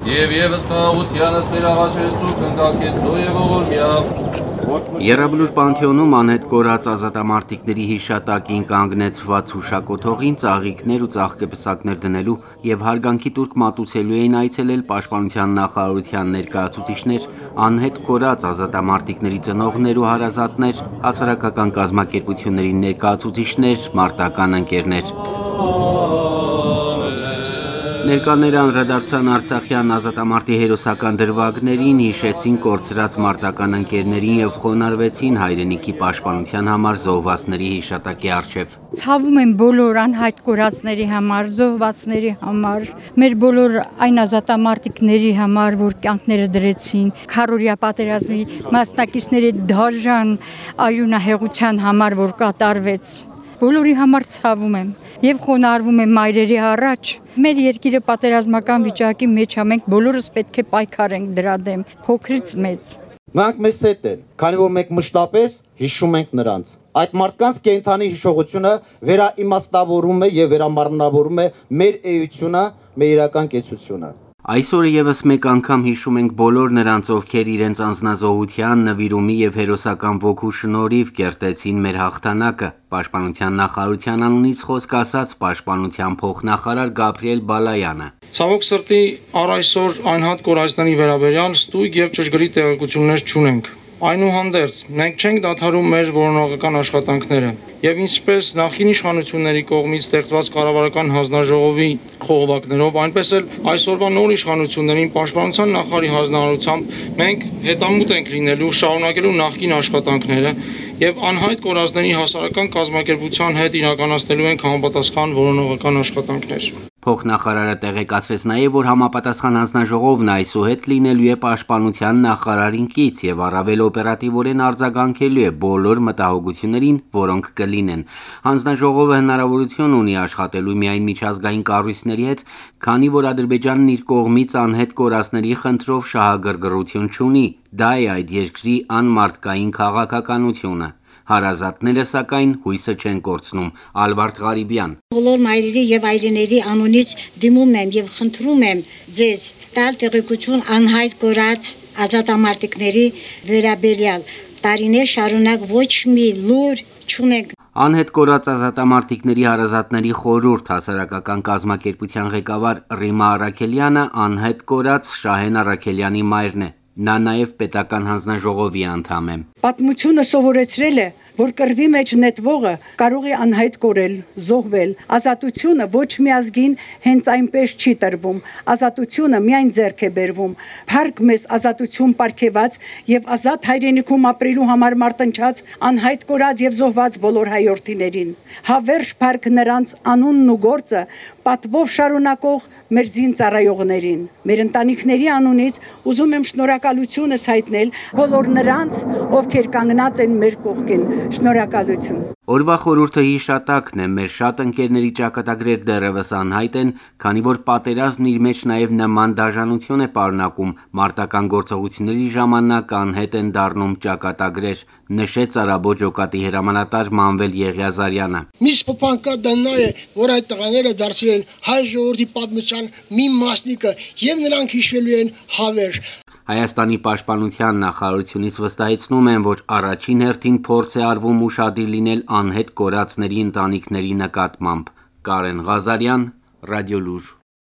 Եվ ևս խաղաղությանս ներաղաչեցու կնկակեցու և ողորմյա Եռաբլուր Պանթեոնում անհետ կորած ազատամարտիկների հիշատակին կանգնեցված հուշակոթողին ծաղիկներ ու ծաղկեպսակներ դնելու և հարգանքի տուրք մատուցելու էին այցելել Պաշտպանության նախարարության ներկայացուցիչներ, անհետ կորած ազատամարտիկների ծնողներ ու հարազատներ, հասարակական կազմակերպությունների ներկայացուցիչներ, մարտական ընկերներ: Ներկաները անդրադարձան արցախյան ազատամարտի հերոսական դրվագներին, հիշեցին կորցրած մարտական ընկերներին և խոնարհվեցին հայրենիքի պաշտպանության համար զոհվածների հիշատակի առջև: Ցավում եմ բոլոր անհայտ կորածների համար, զոհվածների համար, մեր բոլոր այն ազատամարտիկների համար, որ կյանքները դրեցին, քառօրյա պատերազմի մասնակիցների դաժան արյունահեղության համար, որ կատարվեց, բոլորի համար ցավում եմ և խոնարհվում եմ մայրերի առաջ: Մեր երկիրը պատերազմական վիճակի մեջ է, մենք բոլորս պետք է պայքարենք դրա դեմ, փոքրից մեծ: Նրանք մեզ հետ են, քանի որ մենք մշտապես հիշում ենք նրանց: Այդ մարդկանց կենդանի հիշողությունը վերաիմաստավորում է և վերամարմնավորում է մեր էությունը, մեր իրական կեցությունը: Այս օրը ևս մեկ անգամ հիշում ենք բոլոր նրանց, ովքեր իրենց անձնազոհության, նվիրումի և հերոսական ոգու շնորհիվ կերտեցին մեր հաղթանակը: Պաշտպանության նախարարության անունից խոսք ասաց Պաշտպանության փոխնախարար Գաբրիել Բալայանը: Ցավոք սրտի առ այսօր անհատ կորածների վերաբերյալ ստույգ և ճշգրիտ տեղեկություններ չունենք: Այնուհանդերձ, մենք չենք դադարում մեր որոնողական աշխատանքները և ինչպես նախկին իշխանությունների կողմից ստեղծված կառավարական հանձնաժողովի խողովակներով, այնպես էլ այսօրվա նոր իշխանություններին Պաշտպանության նախարարի հանձնարարությամբ մենք հետամուտ ենք լինելու, շարունակելու նախկին աշխատանքները և անհայտ կորածների հասարակական կազմակերպության հետ իրականացնելու ենք համապատասխան որոնողական աշխատանքներ: Փոխնախարարը տեղեկացրեց նաև, որ համապատասխան հանձնաժողովն այսուհետ լինելու է Պաշտպանության նախարարին կից և առավել օպերատիվորեն արձագանքելու է բոլոր մտահոգություններին, որոնք կլինեն: Հանձնաժողովը հնարավորություն ունի աշխատելու միայն միջազգային կառույցների հետ, քանի որ Ադրբեջանն իր կողմից անհետ կորածների խնդրով շահագրգռություն չունի, դա է այդ երկրի անմարդկային քաղաքականությունը: Հարազատները, սակայն, հույսը չեն կորցնում: Ալվարդ Ղարիբյան: Բոլոր մայրերի և այրիների անունից դիմում եմ և խնդրում եմ ձեզ տալ տեղեկություն անհայտ կորած ազատամարտիկների վերաբերյալ: Տարիներ շարունակ ոչ մի լուր չունենք: Անհետ կորած ազատամարտիկների հարազատների խորհուրդ հասարակական կազմակերպության ղեկավար Ռիմա Առաքելյանը անհետ կորած Շահեն Առաքելյանի մայրն է: Նա նաև պետական հանձնաժողովի անդամ է: Պատմությունը սովորեցրել է, որ կռվի մեջ նետվողը կարող է անհայտ կորել, զոհվել: Ազատությունը ոչ մի ազգին հենց այնպես չի տրվում: Ազատությունը միայն ձեռք է բերվում: Փառք մեզ ազատություն պարգևած և ազատ հայրենիքում ապրելու համար մարտնչած անհայտ կորած և զոհված բոլոր հայրենիներին: Հավերժ փառք նրանց անունն ու գործը պատվով շարունակող մեր զինծառայողներին: Մեր ընտանիքների անունից ուզում եմ շնորհակալությունս հայտնել բոլոր նրանց, ովքեր կանգնած են մեր կողքին: Շնորհակալություն: Օրվա խորհուրդը հիշատակն է: Մեր շատ ընկերների ճակատագրեր դեռևս անհայտ են, քանի որ պատերազմն իր մեջ նաև նման դաժանություն է պարունակում, մարտական գործողությունների ժամանակ անհետ են դառնում ճակատագրեր, նշեց Արաբո ջոկատի հրամանատար Մանվել Եղիազարյանը: Միշտ փոփանկա նա է, որ այդ տղաները դարձել են հայ ժողովրդի պատմության մի մասնիկը և նրանք հիշվելու են հավերժ: Հայաստանի պաշտպանության նախարարությունից վստահեցնում են, որ առաջին հերթին փորձ է արվում ուշադիր լինել անհետ կորածների ընտանիքների նկատմամբ: Կարեն Ղազարյան, Ռադիոլուր: